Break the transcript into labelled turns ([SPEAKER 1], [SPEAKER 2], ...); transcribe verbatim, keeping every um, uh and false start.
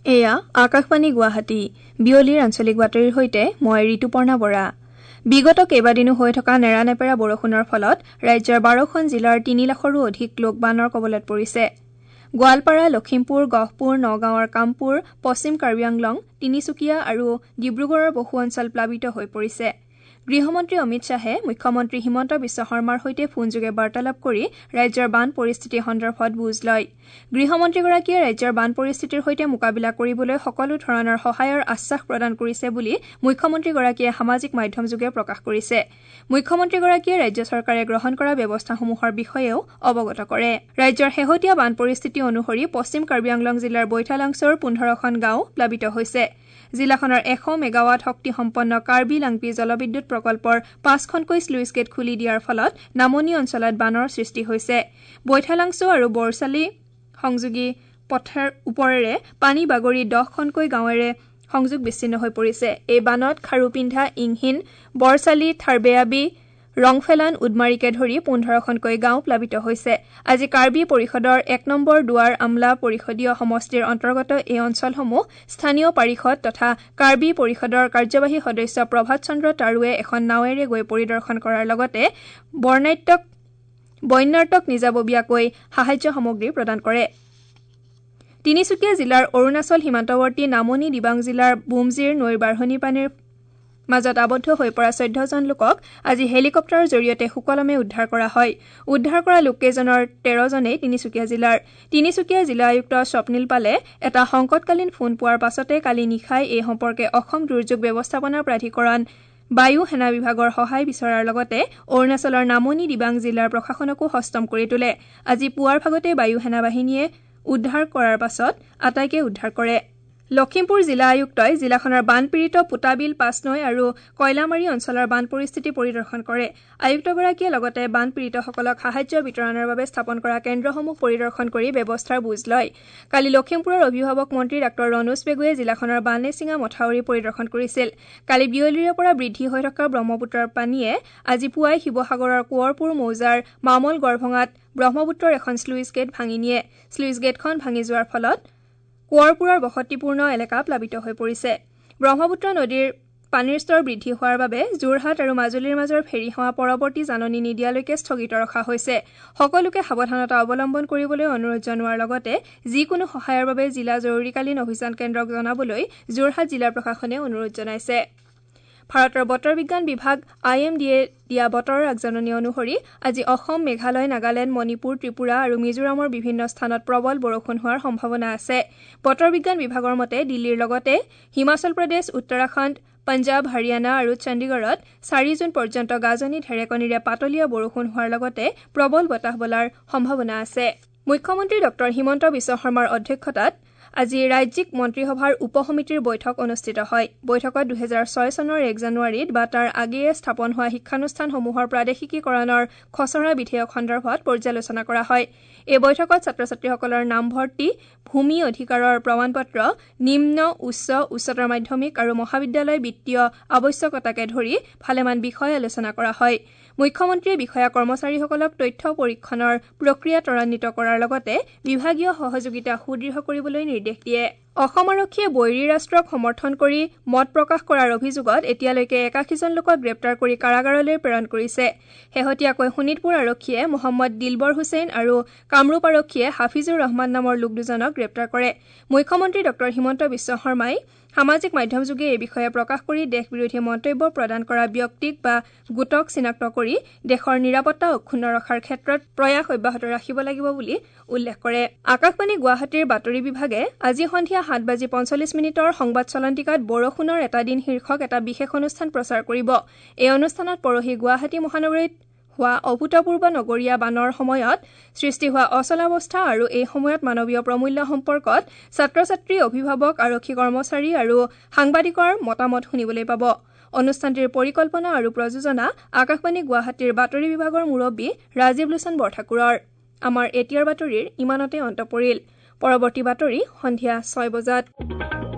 [SPEAKER 1] এয়া আকাশবাণী গুৱাহাটী বিয়লিৰ আঞ্চলিক বাতৰিৰ সৈতে মই ঋতুপৰ্ণা বৰা। বিগত কেইবাদিনো হৈ থকা নেৰানেপেৰা বৰষুণৰ ফলত ৰাজ্যৰ বাৰখন জিলাৰ তিনি লাখৰো অধিক লোক বানৰ কবলত পৰিছে। গোৱালপাৰা, লখিমপুৰ, গহপুৰ, নগাঁৱৰ কামপুৰ, পশ্চিম কাৰ্বি আংলং, তিনিচুকীয়া আৰু ডিব্ৰুগড়ৰ বহু অঞ্চল প্লাবিত হৈ পৰিছে। গৃহমন্ত্ৰী অমিত শ্বাহে মুখ্যমন্ত্ৰী হিমন্ত বিশ্ব শৰ্মাৰ সৈতে ফোনযোগে বাৰ্তালাপ কৰি ৰাজ্যৰ বান পৰিস্থিতি সন্দৰ্ভত বুজ লয়। গৃহমন্ত্ৰীগৰাকীয়ে ৰাজ্যৰ বান পৰিস্থিতিৰ সৈতে মোকাবিলা কৰিবলৈ সকলো ধৰণৰ সহায়ৰ আশ্বাস প্ৰদান কৰিছে বুলি মুখ্যমন্ত্ৰীগৰাকীয়ে সামাজিক মাধ্যমযোগে প্ৰকাশ কৰিছে। মুখ্যমন্ত্ৰীগৰাকীয়ে ৰাজ্য চৰকাৰে গ্ৰহণ কৰা ব্যৱস্থাসমূহৰ বিষয়েও অৱগত কৰে। ৰাজ্যৰ শেহতীয়া বান পৰিস্থিতি অনুসৰি পশ্চিম কাৰ্বি আংলং জিলাৰ বৈঠালাংছ'ৰ পোন্ধৰখন গাঁও প্লাবিত হৈছে। জিলাখনৰ এশ মেগাৱাট শক্তিসম্পন্ন কাৰ্বি লাংপি জলবিদ্যুৎ প্ৰকল্পৰ পাঁচখনকৈ শ্লুইচ গেট খুলি দিয়াৰ ফলত নামনি অঞ্চলত বানৰ সৃষ্টি হৈছে। বৈঠালাংছ' আৰু বৰচালি সংযোগী পথৰ ওপৰেৰে পানী বাগৰি দহখনকৈ গাঁৱেৰে সংযোগ বিচ্ছিন্ন হৈ পৰিছে। এই বানত খাৰুপিন্ধা, ইংহিন, বৰচালি, থাৰ্বেয়াবি, ৰংফেলান, উদমাৰীকে ধৰি পোন্ধৰখনকৈ গাঁও প্লাবিত হৈছে। আজি কাৰ্বি পৰিষদৰ এক নম্বৰ দুৱাৰ আমলা পৰিষদীয় সমষ্টিৰ অন্তৰ্গত এই অঞ্চলসমূহ স্থানীয় পাৰিষদ তথা কাৰ্বি পৰিষদৰ কাৰ্যবাহী সদস্য প্ৰভাত চন্দ্ৰ তাৰুৱে এখন নাৱেৰে গৈ পৰিদৰ্শন কৰাৰ লগতে বৰ্ণাত্যক বন্যাৰ্তক নিজাববীয়াকৈ সাহায্য সামগ্ৰী প্ৰদান কৰে। তিনিচুকীয়া জিলাৰ অৰুণাচল সীমান্তৱৰ্তী নামনি দিবাং জিলাৰ বুমজিৰ নৈৰ বাঢ়নী পানীৰ মাজত আবদ্ধ হৈ পৰা চৈধ্যজন লোকক আজি হেলিকপ্টাৰৰ জৰিয়তে সুকলমে উদ্ধাৰ কৰা হয়। উদ্ধাৰ কৰা লোককেইজনৰ তেৰজনেই তিনিচুকীয়া জিলাৰ। তিনিচুকীয়া জিলা আয়ুক্ত স্বপ্নীল পালে এটা সংকটকালীন ফোন পোৱাৰ পাছতে কালি নিশাই এই সম্পৰ্কে অসম দুৰ্যোগ ব্যৱস্থাপনা প্ৰাধিকৰণ, বায়ু সেনা বিভাগৰ সহায় বিচৰাৰ লগতে অৰুণাচলৰ নামনি দিবাং জিলাৰ প্ৰশাসনকো সষ্টম কৰি তোলে। আজি পুৱাৰ ভাগতে বায়ু সেনা বাহিনীয়ে উদ্ধাৰ কৰাৰ পাছত আটাইকে উদ্ধাৰ কৰে। লখিমপুৰ জিলা আয়ুক্তই জিলাখনৰ বানপীড়িত পোতাবিল, পাঁচনৈ আৰু কয়লামাৰী অঞ্চলৰ বান পৰিস্থিতি পৰিদৰ্শন কৰে। আয়ুক্তগৰাকীয়ে লগতে বানপীড়িতসকলক সাহায্য বিতৰণৰ বাবে স্থাপন কৰা কেন্দ্ৰসমূহ পৰিদৰ্শন কৰি ব্যৱস্থাৰ বুজ লয়। কালি লখিমপুৰৰ অভিভাৱক মন্ত্ৰী ডাঃ ৰণোজ পেগুৱে জিলাখনৰ বানেচিঙা মথাউৰি পৰিদৰ্শন কৰিছিল। কালি বিয়লিৰে পৰা বৃদ্ধি হৈ থকা ব্ৰহ্মপুত্ৰৰ পানীয়ে আজি পুৱাই শিৱসাগৰৰ কোঁৱৰপুৰ মৌজাৰ মামল গড়ভঙাত ব্ৰহ্মপুত্ৰৰ এখন শ্লুইচ গেট ভাঙি নিয়ে। শ্লুইচ গেটখন ভাঙি যোৱাৰ ফলত কোঁৱৰপুৰৰ বসতিপূৰ্ণ এলেকা প্লাবিত হৈ পৰিছে। ব্ৰহ্মপুত্ৰ নদীৰ পানীৰ স্তৰ বৃদ্ধি হোৱাৰ বাবে যোৰহাট আৰু মাজুলীৰ মাজৰ ফেৰী সেৱা পৰৱৰ্তী জাননী নিদিয়ালৈকে স্থগিত ৰখা হৈছে। সকলোকে সাৱধানতা অৱলম্বন কৰিবলৈ অনুৰোধ জনোৱাৰ লগতে যিকোনো সহায়ৰ বাবে জিলা জৰুৰীকালীন অভিযান কেন্দ্ৰক জনাবলৈ যোৰহাট জিলা প্ৰশাসনে অনুৰোধ জনাইছে। ভাৰতৰ বতৰ বিজ্ঞান বিভাগ I am ডিয়ে দিয়া বতৰৰ আগজাননী অনুসৰি আজি অসম, মেঘালয়, নাগালেণ্ড, মণিপুৰ, ত্ৰিপুৰা আৰু মিজোৰামৰ বিভিন্ন স্থানত প্ৰবল বৰষুণ হোৱাৰ সম্ভাৱনা আছে। বতৰ বিজ্ঞান বিভাগৰ মতে দিল্লীৰ লগতে হিমাচল প্ৰদেশ, উত্তৰাখণ্ড, পঞ্জাৱ, হাৰিয়ানা আৰু চণ্ডীগড়ত চাৰি জুন পৰ্যন্ত গাজনি ঢেৰেকনিৰে পাতলীয়া বৰষুণ হোৱাৰ লগতে প্ৰবল বতাহ বলাৰ সম্ভাৱনা আছে। মুখ্যমন্ত্ৰী ডঃ হিমন্ত বিশ্ব শৰ্মাৰ অধ্যক্ষতাত আজি ৰাজ্যিক মন্ত্ৰীসভাৰ উপ সমিতিৰ বৈঠক অনুষ্ঠিত হয়। বৈঠকত দুহেজাৰ ছয় চনৰ এক জানুৱাৰীত বা তাৰ আগেয়ে স্থাপন হোৱা শিক্ষানুষ্ঠানসমূহৰ প্ৰাদেশিকীকৰণৰ খচৰা বিধেয়ক সন্দৰ্ভত পৰ্যালোচনা কৰা হয়। এই বৈঠকত ছাত্ৰ ছাত্ৰীসকলৰ নামভৰ্তি, ভূমি অধিকাৰৰ প্ৰমাণপত্ৰ, নিম্ন, উচ্চ, উচ্চতৰ মাধ্যমিক আৰু মহাবিদ্যালয় বিত্তীয় আৱশ্যকতাকে ধৰি ভালেমান বিষয় আলোচনা কৰা হয়। মুখ্যমন্ত্ৰীয়ে বিষয়া কৰ্মচাৰীসকলক তথ্য পৰীক্ষণৰ প্ৰক্ৰিয়া ত্বৰান্বিত কৰাৰ লগতে বিভাগীয় সহযোগিতা সুদৃঢ় কৰিবলৈ নিৰ্দেশ দিয়ে। অসম আৰক্ষীয়ে বৈৰী ৰাষ্ট্ৰক সমৰ্থন কৰি মত প্ৰকাশ কৰাৰ অভিযোগত এতিয়ালৈকে একাশীজন লোকক গ্ৰেপ্তাৰ কৰি কাৰাগাৰলৈ প্ৰেৰণ কৰিছে। শেহতীয়াকৈ শোণিতপুৰ আৰক্ষীয়ে মহম্মদ দিলবৰ হুছেইন আৰু কামৰূপ আৰক্ষীয়ে হাফিজুৰ ৰহমান নামৰ লোক দুজনক গ্ৰেপ্তাৰ কৰে। মুখ্যমন্ত্ৰী ডঃ হিমন্ত বিশ্ব শৰ্মাই সামাজিক মাধ্যমযোগে এই বিষয়ে প্ৰকাশ কৰি দেশ বিৰোধী মন্তব্য প্ৰদান কৰা ব্যক্তিক বা গোটক চিনাক্ত কৰি দেশৰ নিৰাপত্তা অক্ষুণ্ণ ৰখাৰ ক্ষেত্ৰত প্ৰয়াস অব্যাহত ৰাখিব লাগিব বুলি উল্লেখ কৰে। আকাশবাণী গুৱাহাটীৰ বাতৰি বিভাগে আজি সন্ধিয়া সাত বাজি পঞ্চল্লিছ মিনিটৰ সংবাদ চলন্তিকাত বৰষুণৰ এটা দিন শীৰ্ষক এটা বিশেষ অনুষ্ঠান প্ৰচাৰ কৰিব। এই অনুষ্ঠানত পৰহি গুৱাহাটী মহানগৰীত হোৱা অভূতপূৰ্ব নগৰীয়া বানৰ সময়ত সৃষ্টি হোৱা অচলাৱস্থা আৰু এই সময়ত মানৱীয় প্ৰমূল্য সম্পৰ্কত ছাত্ৰ ছাত্ৰী, অভিভাৱক, আৰক্ষী কৰ্মচাৰী আৰু সাংবাদিকৰ মতামত শুনিবলৈ পাব। অনুষ্ঠানটিৰ পৰিকল্পনা আৰু প্ৰযোজনা আকাশবাণী গুৱাহাটীৰ বাতৰি বিভাগৰ মুৰব্বী ৰাজীৱ লোচন বৰঠাকুৰৰ। আমাৰ এতিয়াৰ বাতৰিৰ ইমানতে অন্ত পৰিল। পৰৱৰ্তী বাতৰি সন্ধিয়া ছয় বজাত।